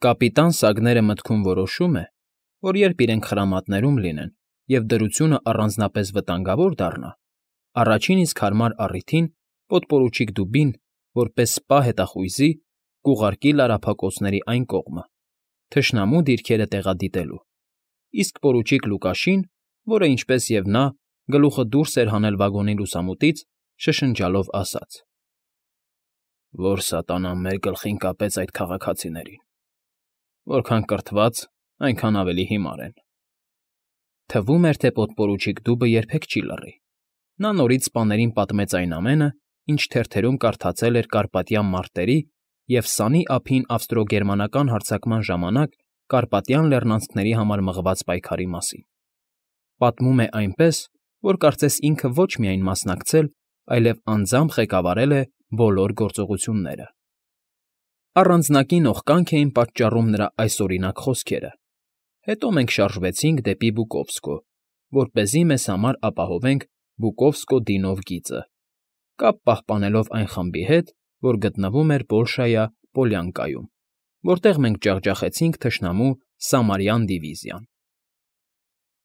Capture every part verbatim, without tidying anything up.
Կապիտան Սագները մտքում որոշում է, որ երբ իրենք խրամատներում լինեն և դրությունը առանձնապես վտանգավոր դառնա, առաջին իսկ հարմար առիթին պոդպորուչիկ դուբին, որպես սպա հետախույզի, կուղարկի լարափակոցների այն կողմը, թշնամու դիրքերը տեղադիտելու, իսկ պորուչիկ Լուկաշին, որը, ինչպես և նա, գլուխը դուրս էր հանել վագոնի լուսամուտից, շշնջալով ասաց. «Որ սատանան մեր գլխին կապեց այդ քաղաքացիներին… Որքան կրթված, այնքան ավելի հիմար են»։ Թվում էր, թե պոդպորուչիկ դուբը երբեք չի լռի. նա նորից սպաներին պատմեց այն ամենը, ինչ թերթերում կարդացել էր կարպատյան մարտերի և սանի ափին ավստրո֊գերմանական հարձակման ժամանակ Կարպատյան Լեռնանցքների համար մղված պայքարի մասին. պատմում է այնպես, որ կարծես ինքը ոչ միայն մասնակցել, այլև անձամբ ղեկավարել է բոլոր գործողությունները։ Առանձնակի նողկանք էին պատճառում նրա այսօրինակ խոսքերը. «Հետո մենք շարժվեցինք դեպի Բուկովսկո, որպեսզի մեզ համար ապահովենք Բուկովսկո֊Դինով գիծը, կապ պահպանելով այն խմբի հետ, որ գտնվում էր Բոլշայա Պոլյանկայում, որտեղ մենք ջախջախեցինք թշնամու Սամարյան դիվիզիան»։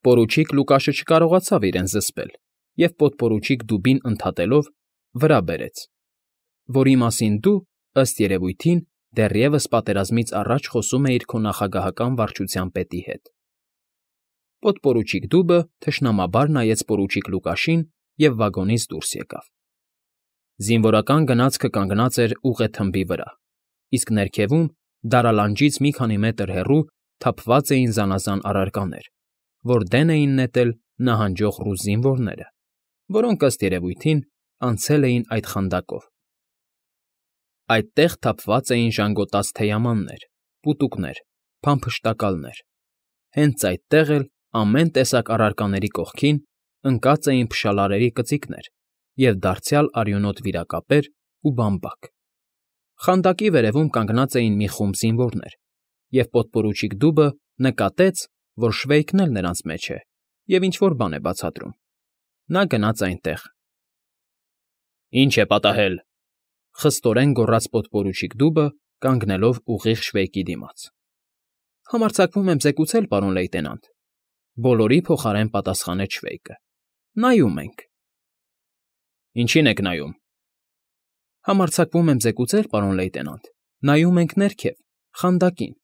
Պորուչիկ Լուկաշը չկարողացավ իրեն զսպել և պոդպորուչիկ Դուբին ընդհատելով վրա բերեց, որի մասին դու, ըստ երևույթին, դեռևս պատերազմից առաջ խոսում էիր քո նախագահական վարչության պետի հետ։ Պոդպորուչիկ Դուբը թշնամաբար նայեց պորուչիկ Լուկաշին և վագոնից դուրս եկավ։ Զինվորական գնացքը կանգնած էր ուղեթմբի վրա, իսկ ներքևում, դարալանջից մի քանի մետր հեռու թափված էին զանազան առարկաներ, որ դեն էին նետել նահանջող ռուս զինվորները, որոնք, ըստ երևույթին, անցել էին այդ խանդակով։ Այդտեղ թափված էին ժանգոտած թեյամաններ, պուտուկներ, փամփշտակալներ։ Հենց այդտեղ էլ, ամեն տեսակ առարկաների կողքին, ընկած էին փշալարերի կծիկներ և դարձյալ արյունոտ վիրակապեր ու բամբակ։ Խանդակի վերևում կանգնած էին մի խումբ զինվորներ, և պոդպորուչիկ Դուբը նկատեց, որ Շվեյքն էլ նրանց մեջ է և ինչ֊որ բան է բացատրում։ Նա գնաց այնտեղ։ «Ի՞նչ է պատահել», ֊ խստորեն գոռաց պոդպորուչիկ Դուբը, կանգնելով ուղիղ Շվեյկի դիմաց։ «Համարձակվում եմ զեկուցել, պարոն լեյտենանտ», ֊ բոլորի փոխարեն պատասխանեց Շվեյկը։ «Նայում ենք»։ «Ինչի՞ն եք նայում»։ «Համարձակվում եմ զեկուցել, պարոն լեյտենանտ, նայում ենք ներքև, խանդակին»։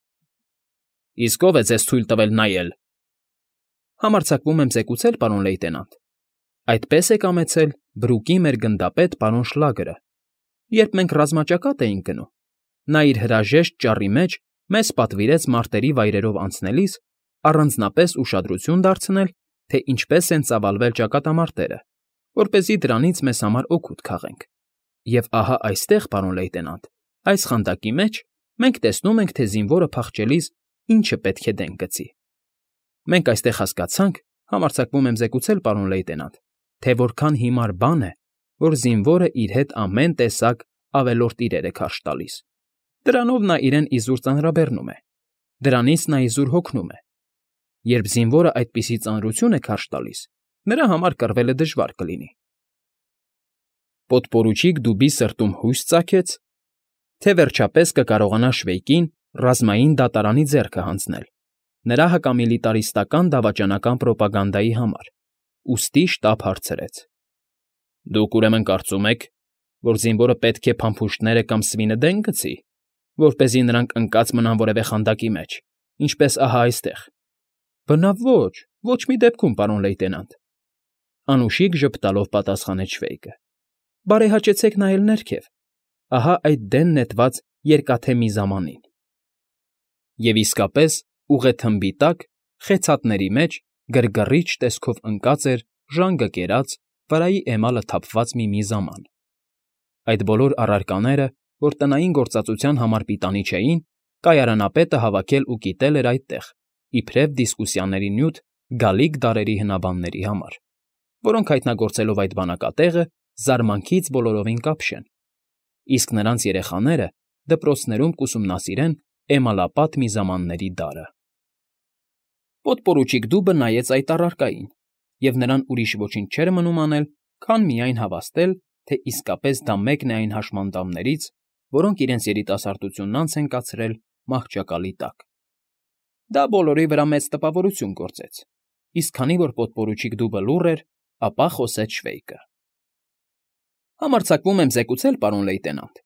«Իսկ ո՞վ է ձեզ թույլ տվել նայել»։ «Համարձակվում եմ զեկուցել, պարոն լեյտենանտ, այդպես է կամեցել Բրուկի մեր գնդապետ պարոն Շլագերը, երբ մենք ռազմաճակատ էինք գնում, նա իր հրաժեշտ ճառի մեջ մեզ պատվիրեց մարտերի վայրերով անցնելիս առանձնապես ուշադրություն դարձնել, թե ինչպես են ծավալվել ճակատամարտերը, որպեսզի դրանից մեզ համար օգուտ քաղենք։ Եվ ահա այստեղ, պարոն լեյտենանտ, այս խանդակի մեջ մենք տեսնում ենք, թե զինվորը փախչելիս ինչը պետք է դեն գցի։ Մենք այստեղ հասկացանք, համարձակվում եմ զեկուցել, պարոն լեյտենանտ, թե որքան հիմար բան է, որ զինվորը իր հետ ամեն տեսակ ավելորդ իրեր է քարշ տալիս։ Դրանով նա իրեն իզուր ծանրաբեռնում է, դրանից նա իզուր հոգնում է։ Երբ զինվորը այդպիսի ծանրություն է քարշ տալիս, նրա համար կռվելը դժվար կլինի։ Պոդպորուչիկ Դուբի սրտում հույս ծագեց, թե վերջապես կկարողանա Շվեյկին ռազմային դատարանի ձեռքը հանձնել նրա հակամիլիտարիստական դավաճանական պրոպագանդայի համար, ուստի շտապ հարցրեց. «Դուք, ուրեմն, կարծում եք, որ զինվորը պետք է փամփուշտները կամ սվինը դեն գցի, որպեսզի նրանք ընկած մնան որևէ խանդակի մեջ, ինչպես ահա այստեղ»։ «Բնավ ոչ, ոչ մի դեպքում, պարոն լեյտենանտ», ֊ անուշիկ ժպտալով պատասխանեց Շվեյկը։ «Բարեհաճեցեք նայել ներքև, ահա այդ դեն նետված երկաթե միզամանին»։ Եվ իսկապես, ուղեթմբի տակ, խեցաթների մեջ, գրգռիչ տեսքով ընկած էր ժանգը կերած, վրայի էմալը թափված մի միզաման։ Այդ բոլոր առարկաները, որ տնային գործածության համար պիտանի չէին, կայարանապետը հավաքել ու կիտել էր այդտեղ, իբրև դիսկուսիաների նյութ գալիք դարերի հնաբանների համար, որոնք հայտնագործելով այդ բանակատեղը, զարմանքից բոլորովին կապշեն, իսկ նրանց երեխաները դպրոցներում կուսումնասիրեն էմալապատ միզամանների դարը։ Պոդպորուչիկ Դուբը նայեց այդ առարկային, և նրան ուրիշ ոչինչ չէր մնում անել, քան միայն հավաստել, թե իսկապես դա մեկն է այն հաշմանդամներից, որոնք իրենց երիտասարդությունն անց են կացրել մահճակալի տակ։ Դա բոլորի վրա մեծ տպավորություն գործեց, իսկ քանի որ պոդպորուչիկ դուբը լուռ էր, ապա խոսեց Շվեյկը. Համարձակվում եմ զեկուցել, պարոն լեյտենանտ,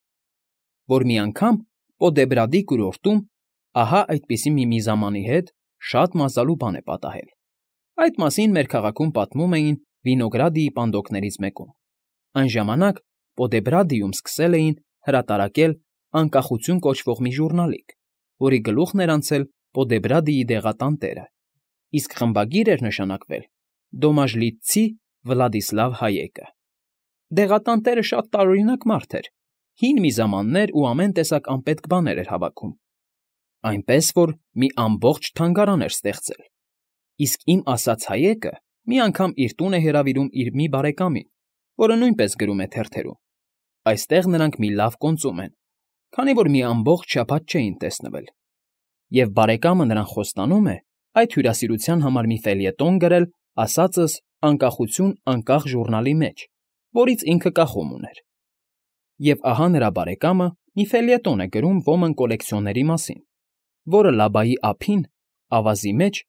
որ մի անգամ Պոդեբրադի կուրորտում ահա այդպիսի մի միզամանի հետ շատ մազալու բան է պատահել։ Այդ մասին մեր քաղաքում պատմում էին Վինոգրադիի պանդոկներից մեկում։ Այն ժամանակ Պոդեբրադիում սկսել էին հրատարակել Անկախություն կոչվող մի ժուրնալիկ, որի գլուխն էր անցել Պոդեբրադիի դեղատանտերը, իսկ խմբագիր էր նշանակվել Դոմաժլիցցի Վլադիսլավ Հայեկը։ Դեղատանտերը շատ տարօրինակ մարդ էր, հին միզամաններ ու ամեն տեսակ անպետք բաներ էր հավաքում, այնպես որ մի ամբողջ թանգարան էր ստեղծել, իսկ իմ ասած Հայեկը մի անգամ իր տուն է հրավիրում իր մի բարեկամին, որը նույնպես գրում է թերթերում։ Այստեղ նրանք մի լավ կոնծում են, քանի որ մի ամբողջ շաբաթ չէին տեսնվել, և բարեկամը նրան խոստանում է այդ հյուրասիրության համար մի ֆելյետոն գրել ասածս Անկախություն անկախ ժուրնալի մեջ, որից ինքը կախում ուներ։ Եվ ահա նրա բարեկամը մի ֆելյետոն է գրում ոմն կոլեկցիոների մասին, որը Լաբայի ափին, ավազի մեջ,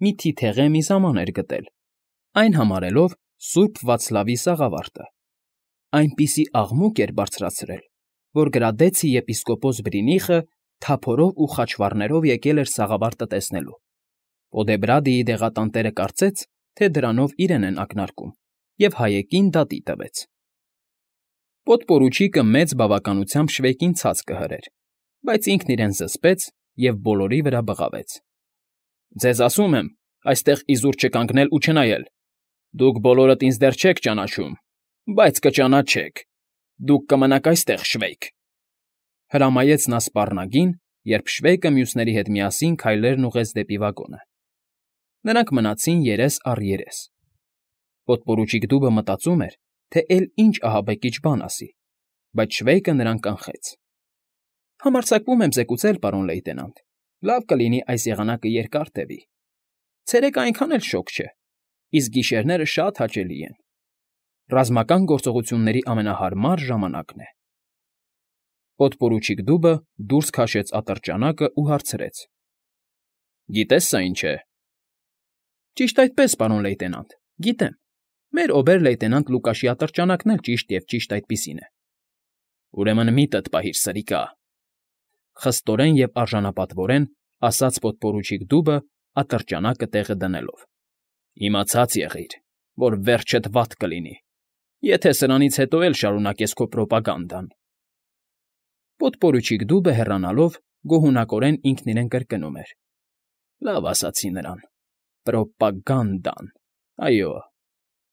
մի թիթեղե միզաման էր գտել, այն համարելով Սուրբ Վացլավի սաղավարտը։ Այնպիսի աղմուկ էր բարձրացրել, որ Գրադեցի եպիսկոպոս Բրինիխը թափորով ու խաչվառներով եկել էր սաղավարտը տեսնելու։ Պոդեբրադիի դեղատանտերը կարծեց, թե դրանով իրեն են ակնարկում, և Հայեկին դատի տվեց։ Պոդպորուչիկը մեծ բավականությամբ Շվեյկին ցած կհրեր, բայց ինքն իրեն զսպեց և բոլորի վրա բղավեց. Ձեզ ասում եմ, այստեղ իզուր չկանգնել ու չնայել։ Դուք բոլորդ ինձ դեռ չեք ճանաչում, բայց կճանաչեք։ Դուք կմնաք այստեղ, Շվեյկ։ Հրամայեց նա սպառնագին, երբ Շվեյկը մյուսների հետ միասին քայլերն ուղղեց դեպի վագոնը։ Նրանք մնացին երես առ երես։ Պոդպորուչիկ դուբը մտածում էր, թե էլ ինչ ահաբեկիչ բան ասի, բայց Շվեյկը նրան կանխեց։ Համարձակվում եմ զեկուցել, պարոն լեյտենանտ, լավ կլինի այս եղանակը երկար տևի։ Ցերեկը այնքան էլ շոգ չէ, իսկ գիշերները շատ հաճելի են։ Ռազմական գործողությունների ամենահարմար ժամանակն է։ Պոդպորուչիկ դուբը դուրս քաշեց ատրճանակը ու հարցրեց. Գիտես սա ինչ է։ Ճիշտ այդպես, պարոն լեյտենանտ, գիտեմ։ Մեր օբեր֊լեյտենանտ Լուկաշի ատրճանակն էլ ճիշտ և ճիշտ այդպիսին է։ Ուրեմն միտդ պահիր, սրիկա, խստորեն և արժանապատվորեն ասաց պոդպորուչիկ դուբը ատրճանակը տեղը դնելով։ Իմացած եղիր, որ վերջդ վատ կլինի, եթե սրանից հետո էլ շարունակես քո պրոպագանդան։ Պոդպորուչիկ դուբը հեռանալով գոհունակորեն ինքն իրեն կրկնում էր. Լավ ասացի նրան, պրոպագանդան, այո,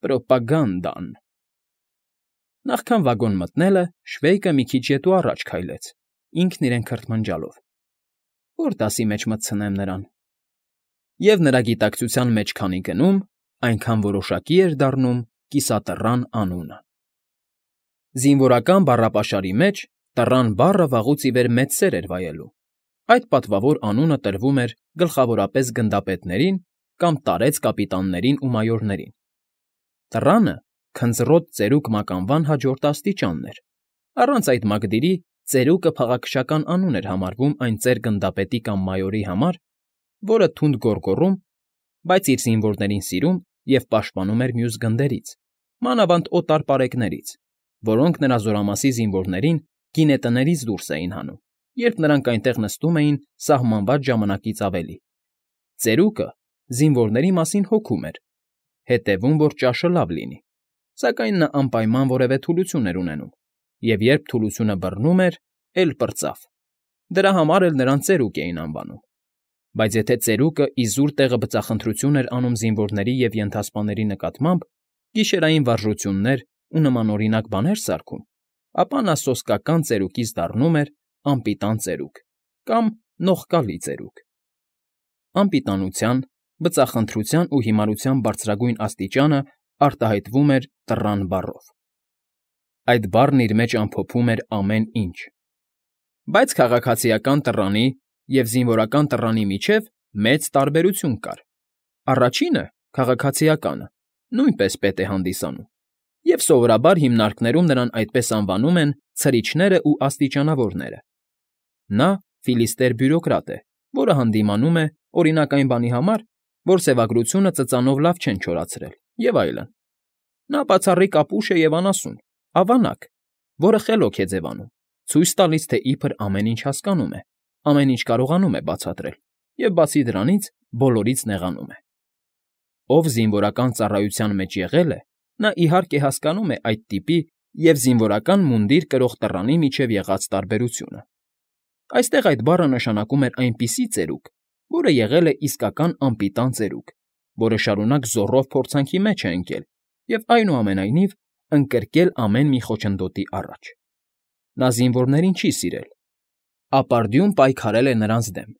պրոպագանդան։ Նախքան վագոն մտնելը Շվեյկը մի քիչ ետ ու առաջ քայլեց, ինքն իրեն քրթմնջալով. Որ դասի մեջ մտցնեմ նրան։ Եվ նրա գիտակցության մեջ քանի գնում, այնքան որոշակի էր դառնում կիսատռան անունը։ Զինվորական բառապաշարի մեջ տռան բառը վաղուց ի վեր մեծ սեր էր վայելում։ Այդ պատվավոր անունը տրվում էր գլխավորապես գնդապետներին կամ տարեց կապիտաններին ու մայորներին։ Տռանը քնձռոտ ծերուկ մականվան հաջորդ աստիճանն էր։ Առանց այդ մակդիրի ծերուկը փաղաքշական անուն էր համարվում այն ծեր գնդապետի կամ մայորի համար, որը թունդ գոռգոռում, բայց իր զինվորներին սիրում և պաշտպանում էր մյուս գնդերից, մանավանդ օտար պարեկներից, որոնք նրա զորամասի զինվորներին գինետներից դուրս էին հանում, երբ նրանք այնտեղ նստում էին սահմանված ժամանակից ավելի։ Ծերուկը զինվորների մասին հոգում էր, հետևում, որ ճաշը լավ լինի, սակայն նա անպայման որևէ թուլություն էր ունենում, և երբ թուլությունը բռնում էր, էլ պրծավ։ Դրա համար էլ նրան ծերուկ էին անվանում։ Բայց եթե ծերուկը իզուր տեղը բծախնդրություն էր անում զինվորների և ենթասպաների նկատմամբ, գիշերային վարժություններ ու նմանօրինակ բաներ սարքում, ապա նա սոսկական ծերուկից դառնում էր անպիտան ծերուկ կամ նողկալի ծերուկ։ Անպիտանության, բծախնդրության ու հիմարության բարձրագույն աստիճանը արտահայտվում էր տռան բառով։ Այդ բառն իր մեջ ամփոփում էր ամեն ինչ։ Բայց քաղաքացիական տռանի և զինվորական տռանի միջև մեծ տարբերություն կար։ Առաջինը՝ քաղաքացիականը, նույնպես պետ է հանդիսանում, և սովորաբար հիմնարկներում նրան այդպես անվանում են ցրիչներն ու աստիճանավորները։ Նա Ֆիլիստեր բյուրոկրատ է, որը հանդիմանում է, օրինակ, այն բանի համար, որ սևագրությունը ծծանով լավ չեն չորացրել, և այլն. նա բացառիկ ապուշ է և անասուն, ավանակ, որը խելոք է ձևանում, ցույց տալիս, թե իբր ամեն ինչ հասկանում է, ամեն ինչ կարողանում է բացատրել և, բացի դրանից, բոլորից նեղանում է։ Ով զինվորական ծառայության մեջ եղել է, նա, իհարկե, հասկանում է այդ տիպի և զինվորական մունդիր կրող տռանի միջև եղած տարբերությունը։ Այստեղ այդ բառը նշանակում էր այնպիսի ծերուկ, որը եղել է իսկական անպիտան ծերուկ, որը շարունակ զոռով փորձանքի մեջ է ընկել և, այնուամենայնիվ, ընկրկել ամեն մի խոչընդոտի առաջ։ Նա զինվորներին չի սիրել, ապարդյուն պայքարել է նրանց դեմ,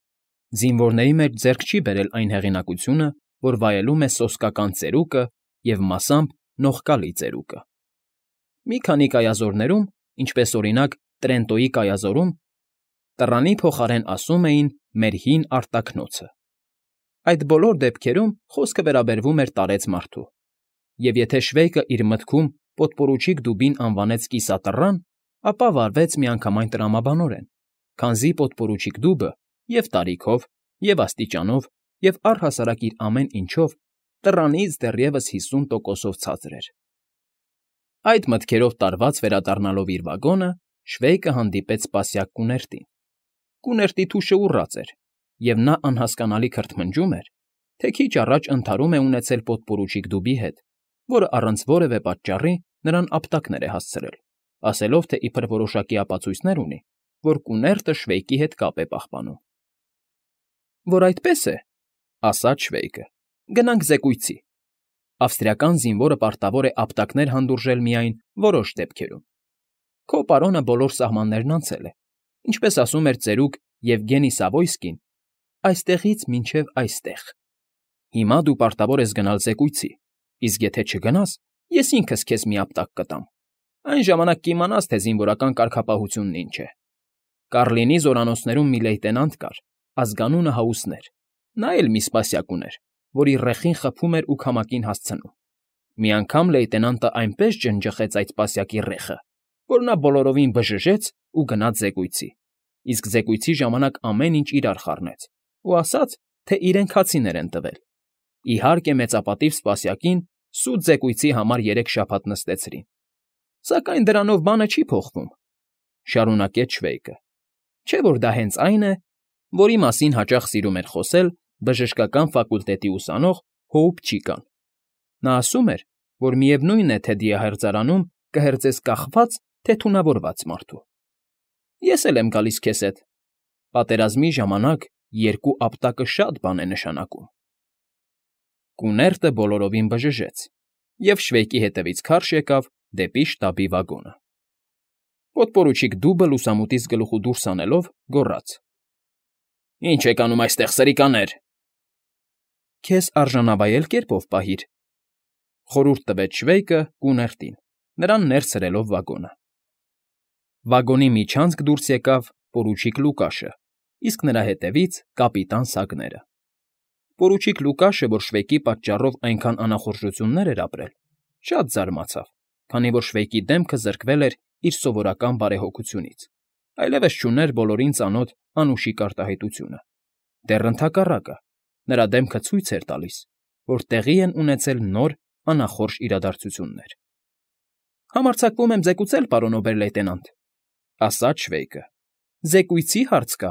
զինվորների մեջ ձեռք չի բերել այն հեղինակությունը, որ վայելում է սոսկական ծերուկը և մասամբ նողկալի ծերուկը։ Մի քանի կայազորներում, ինչպես, օրինակ, Տրենտոյի կայազորում, տռանի փոխարեն ասում էին «մեր հին արտաքնոցը»։ Այդ բոլոր դեպքերում խոսքը վերաբերվում էր տարեց մարդու, և եթե Շվեյկը իր մտքում պոդպորուչիկ դուբին անվանեց կիսատռան, ապա վարվեց միանգամայն տրամաբանորեն, քանզի պոդպորուչիկ դուբը և՛ տարիքով, և՛ աստիճանով, և առհասարակ իր ամեն ինչով տռանից դեռևս հիսուն տոկոսով ցածր էր։ Այդ մտքերով տարված վերադառնալով իր վագոնը՝ Շվեյկը հանդիպեց սպասյակ կուներտին։ Կուներտի թուշը ուռած էր, և նա անհասկանալի քրթմնջում էր, թե քիչ առաջ ընդհարում է ունեցել պոդպորուչիկ դուբի հետ, որը առանց որևէ պատճառի նրան ապտակներ է հասցրել, ասելով, թե իբր որոշակի ապացույցներ ունի, որ կուներտը Շվեյկի հետ կապ է պահպանում։ Որ այդպես է, ասաց Շվեյկը, գնանք զեկույցի։ Ավստրիական զինվորը պարտավոր է ապտակներ հանդուրժել միայն որոշ դեպքերում։ Քո պարոնը բոլոր սահմաններն անցել է, ինչպես ասում էր ծերուկ Եվգենի Սավոյսկին, այստեղից մինչև այստեղ։ Հիմա դու պարտավոր ես գնալ զեկույցի, իսկ եթե չգնաս, ես ինքս քեզ մի ապտակ կտամ։ Այն ժամանակ կիմանաս, թե զինվորական կարգապահությունն ինչ է։ Կառլինի զորանոցներում մի լեյտենանտ կար, ազգանունը Հաուսներ։ Նա էլ մի սպասյակ ուներ, որի ռեխին խփում էր ու քամակին հասցնում։ Մի անգամ լեյտենանտը այնպես ջնջխեց այդ սպասյակի ռեխը, որ նա բոլորովին բժժեց ու գնաց զեկույցի, իսկ զեկույցի ժամանակ ամեն ինչ իրար խառնեց ու ասաց, թե իրեն քացիներ են տվել։ Իհարկե, մեծապատիվ սպասյակին սուտ զեկույցի համար երեք շաբաթ նստեցրին։ Սակայն դրանով բանը չի փոխվում,֊ շարունակեց Շվեյկը։ Չէ՞ որ դա հենց այն է, որի մասին հաճախ սիրում էր խոսել բժշկական ֆակուլտետի ուսանող Հոուփչիկան։ Նա ասում էր, որ միևնույն է, թե դիահերձարանում կհերձես կախված, թե թունավորված մարդու։ Ես էլ եմ գալիս քեզ հետ։ Պատերազմի ժամանակ երկու ապտակը շատ բան է նշանակում։ Կուներտը բոլորովին բժժեց, և Շվեյկի հետևից քարշ եկավ դեպի շտաբի վագոնը։ Պոդպորուչիկ դուբը լուսամուտից գլուխը դուրս հանելով գոռաց. «Ի՞նչ եք անում այստեղ, սրիկաներ»։ Քեզ արժանավայել կերպով պահիր,֊ խորհուրդ տվեց Շվեյկը կուներտին, նրան ներս հրելով վագոնը։ Վագոնի միջանցք դուրս եկավ պորուչիկ Լուկաշը, իսկ նրա հետևից՝ կապիտան Սագները։ Պորուչիկ Լուկաշը, որ Շվեյկի պատճառով այնքան անախորժություններ էր ապրել, շատ զարմացավ, քանի որ Շվեյկի դեմքը զրկվել էր իր սովորական բարեհոգությունից, այլևս չուներ բոլորին ծանոթ անուշիկ արտահայտությունը։ Դեռ ընդհակառակը, նրա դեմքը ցույց էր տալիս, որ տեղի են ունեցել նոր անախորժ իրադարձություններ։ Համարձակվում եմ զեկուցել, պարոն օբեր֊լեյտենանտ,֊ ասաց Շվեյկը։ Զեկույցի հարց կա։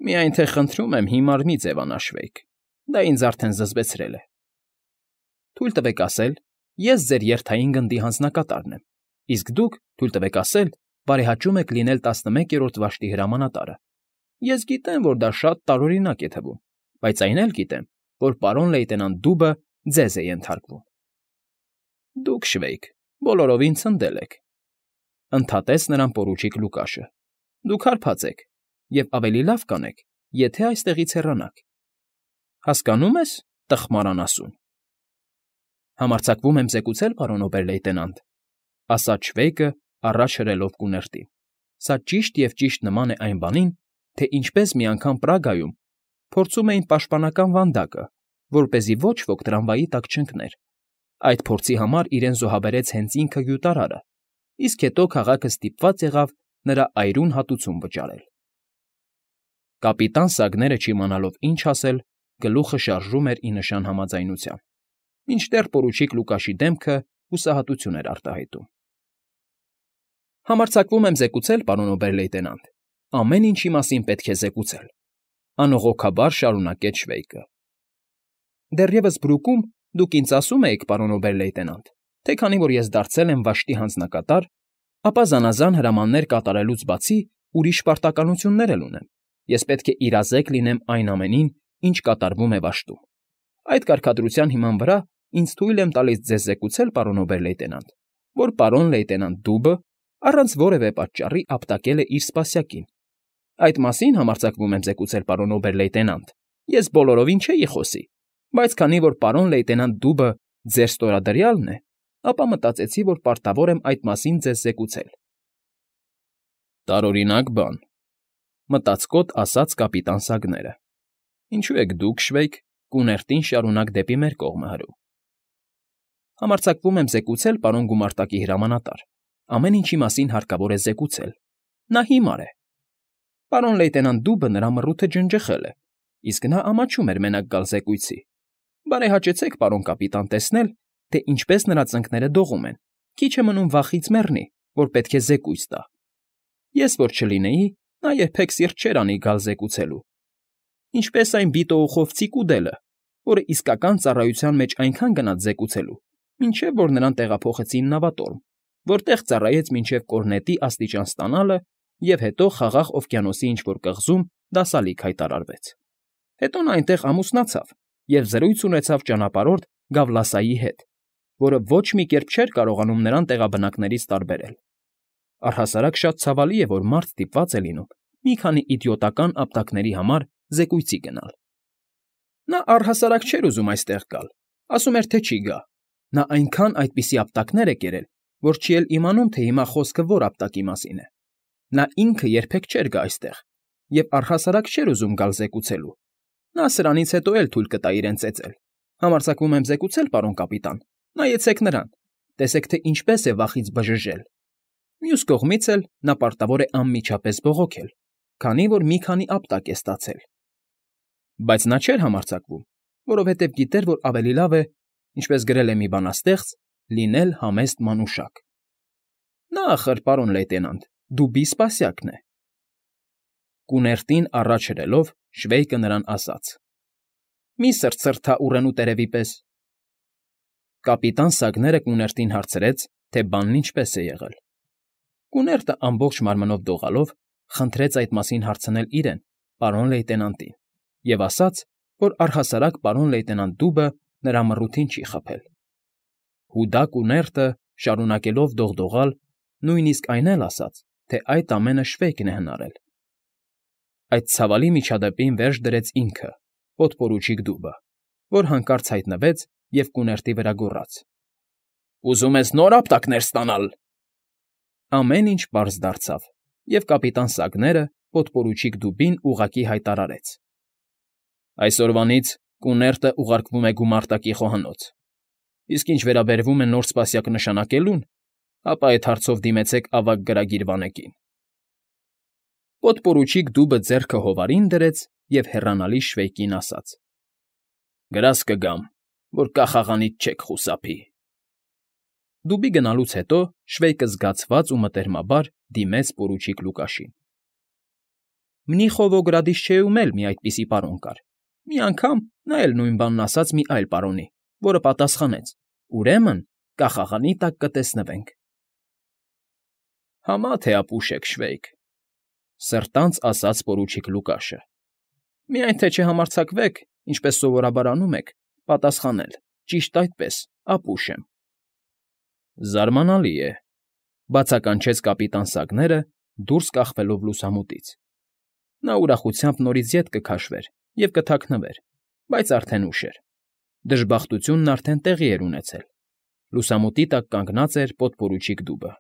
Միայն թե խնդրում եմ հիմար մի ձևանա, Շվեյկ, դա ինձ արդեն զզվեցրել է։ Թույլ տվեք ասել, ես ձեր երթային գնդի հանձնակատարն եմ, իսկ դուք, թույլ տվեք ասել, բարեհաճում եք լինել տասնմեկերորդ վաշտի հրամանատարը։ Ես գիտեմ, որ դա շատ տարօրինակ է թվում, բայց այն էլ գիտեմ, որ պարոն լեյտենանտ Դուբը ձեզ է ենթարկվում։ Դուք, Շվեյկ, բոլորովին ցնդել եք,֊ ընդհատեց նրան պորուչիկ Լուկաշը։ Դուք հարբած եք, և ավելի լավ կանեք, եթե այստեղից հեռանաք։ Հասկանո՞ւմ ես, տխմար անասուն։ Համարձակվում եմ զեկուցել, պարոն օբեր֊լեյտենանտ,֊ ասաց Շվեյկը առաջ հրելով կուներտին։ Սա ճիշտ և ճիշտ նման է այն բանին, թե ինչպես մի անգամ Պրագայում փորձում էին պաշտպանական վանդակը, որպեսզի ոչ ոք տրամվայի տակ չընկներ։ Այդ փորձի համար իրեն զոհաբերեց հենց ինքը գյուտարարը, իսկ հետո քաղաքը ստիպված եղավ նրա այրուն հատուցում վճարել։ Կապիտան Սագները չիմանալով ինչ ասել, գլուխը շարժում էր ի նշան համաձայնության, մինչդեռ պորուչիկ Լուկաշի դեմքը հուսահատություն էր արտահայտում։ ֊ Համարձակվում եմ զեկուցել, պարոն օբեր֊լեյտենանտ, ամեն ինչի մասին պետք է զեկուցել,֊ անողոքաբար շարունակեց Շվեյկը։ ֊ Դեռևս Բրուկում դուք ինձ ասում էիք, պարոն օբեր֊լեյտենանտ, թե քանի որ ես դարձել եմ վաշտի հանձնակատար, ապա զանազան հրամաններ կատարելուց բացի ուրիշ պարտականություններ էլ ունեմ, ես պետք է իրազեկ լինեմ այն ամենին, ինչ կատարվում է վաշտում։ Այդ կարգադրության հիման վրա ինձ թույլ եմ տալիս ձեզ զեկուցել, պարոն օբեր֊լեյտենանտ, որ պարոն լեյտենանտ Դուբը առանց որևէ պատճառի ապտակել է իր սպասյակին։ Այդ մասին համարձակվում եմ զեկուցել, պարոն օբեր֊լեյտենանտ, ես բոլորովին չէի խոսի, բայց քանի որ պարոն լեյտենանտ Դուբը ձեր ստորադրյալն է, ապա մտածեցի, որ պարտավոր եմ այդ մասին ձեզ զեկուցել։ ֊ Տարօրինակ բան,֊ մտածկոտ ասաց կապիտան Սագները։ Ինչու եք դուք, Շվեյկ, կուներտին շարունակ դեպի մեր կողմը հրում։ ֊ Համարձակվում եմ զեկուցել, պարոն գումարտակի հրամանատար, ամեն ինչի մասին հարկավոր է զեկուցել։ Նա հիմար է։ Պարոն լեյտենանտ Դուբը նրա մռութը ջնջխել է, իսկ նա ամաչում էր մենակ գալ զեկույցի։ Բարեհաճեցեք, պարոն կապիտան, տեսնել, թե ինչպես նրա ծնկները դողում են, քիչ է մնում վախից մեռնի, որ պետք է զեկույց տա։ Ես որ չլինեի, նա երբեք սիրտ չէր անի գալ զեկուցելու։ Ինչպես այն բիտոուխովցի կուդելը, որը իսկական ծառայության մեջ այնքան գնաց զեկուցելու, մինչև որ նրան տեղափոխեցին նավատորմ, որտեղ ծառայեց մինչև կորնետի աստիճան ստանալը և հետո Խաղաղ օվկիանոսի ինչ֊որ կղզում դասալիկ հայտարարվեց։ Հետո նա այնտեղ ամուսնացավ և զրույց ունեցավ ճանապարհորդ Գավլասայի հետ, որը ոչ մի կերպ չէր կարողանում նրան տեղաբնակներից տարբերել։ Առհասարակ շատ ցավալի է, որ մարդ ստիպված է լինում մի քանի իդիոտական ապտակների համար զեկույցի գնալ։ Նա առհասարակ չէր ուզում այստեղ գալ, ասում էր, թե չի գա։ Նա այնքան այդպիսի ապտակներ է կերել, որ չի էլ իմանում, թե հիմա խոսքը որ ապտակի մասին է։ Նա ինքը երբեք չէր գա այստեղ և առհասարակ չէր ուզում գալ զեկուցելու։ Նա սրանից հետո էլ թույլ կտա իրեն ծեծել։ Համարձակվում եմ զեկուցել, պարոն կապիտան, նայեցեք նրան, տեսեք, թե ինչպես է վախից բժժել։ Մյուս կողմից էլ նա պարտավոր է անմիջապես բողոքել, քանի որ մի քանի ապտակ է ստացել։ Բայց նա չէր համարձակվում, որովհետև գիտեր, որ ավելի լավ է, ինչպես գրել է մի բանաստեղծ, լինել համեստ մանուշակ։ Նա, ախր, պարոն լեյտենանտ, Դուբի սպասյակն է։ Կուներտին առաջ հրելով Շվեյկը նրան ասաց. Մի սրտսրտա ուռենու տերևի պես։ Կապիտան Սագները կուներտին հարցրեց, թե բանն ինչպես է եղել։ Կուներտը ամբողջ մարմնով դողալով խնդրեց այդ մասին հարցնել իրեն, պարոն լեյտենանտին, և ասաց, որ առհասարակ պարոն լեյտենանտ Դուբը նրա մռութին չի խաբել։ Հուդա կուներտը, շարունակելով դողդողալ, նույնիսկ այն էլ ասաց, թե այդ ամենը Շվեյկն է հնարել։ Այդ ցավալի միջադեպին վերջ դրեց ինքը, պոդպորուչիկ Դուբը, որ հանկարծ հայտնվեց և կուներտի վրա գոռաց. Ուզում ես նոր ապտակներ ստանալ։ Ամեն ինչ պարզ դարձավ, և կապիտան Սագները պոդպորուչիկ Դուբին ուղղակի հայտարարեց. Այսօրվանից կուներտը ուղարկվում է գումարտակի խոհանոց, իսկ ինչ վերաբերվում է նոր սպասյակ նշանակելուն, ապա այդ հարցով դիմեցեք ավագ գրագիր վանեկին։ Պոդպորուչիկ Դուբը ձեռքը հովարին դրեց և հեռանալի Շվեյկին ասաց. Գրազ կգամ, որ կախաղանից չեք խուսափի։ Դուբի գնալուց հետո Շվեյկը զգացված ու մտերմաբար դիմեց պորուչիկ Լուկաշին։ Մնիխովոգրադից չէում էլ մի այդպիսի պարոն կար։ Մի անգամ նա էլ նույն բանն ասաց մի այլ պարոնի, որը պատասխանեց. Ուրեմն կախաղանի տակ կտեսնվենք։ Համա թե ապուշ եք, Շվեյկ,֊ սրտանց ասաց պորուչիկ Լուկաշը։ Միայն թե չհամարձակվեք, ինչպես սովորաբար անում եք, պատասխանել. Ճիշտ այդպես, ապուշ եմ։ Զարմանալի է,֊ բացականչեց կապիտան Սագները, դուրս կախվելով լուսամուտից։ Նա ուրախությամբ նորից ետ կքաշվեր և կթաքնվեր, բայց արդեն ուշ էր։ Դժբախտությունն արդեն տեղի էր ունեցել։ Լուսամուտի տակ կանգնած էր պոդպորուչիկ Դուբը։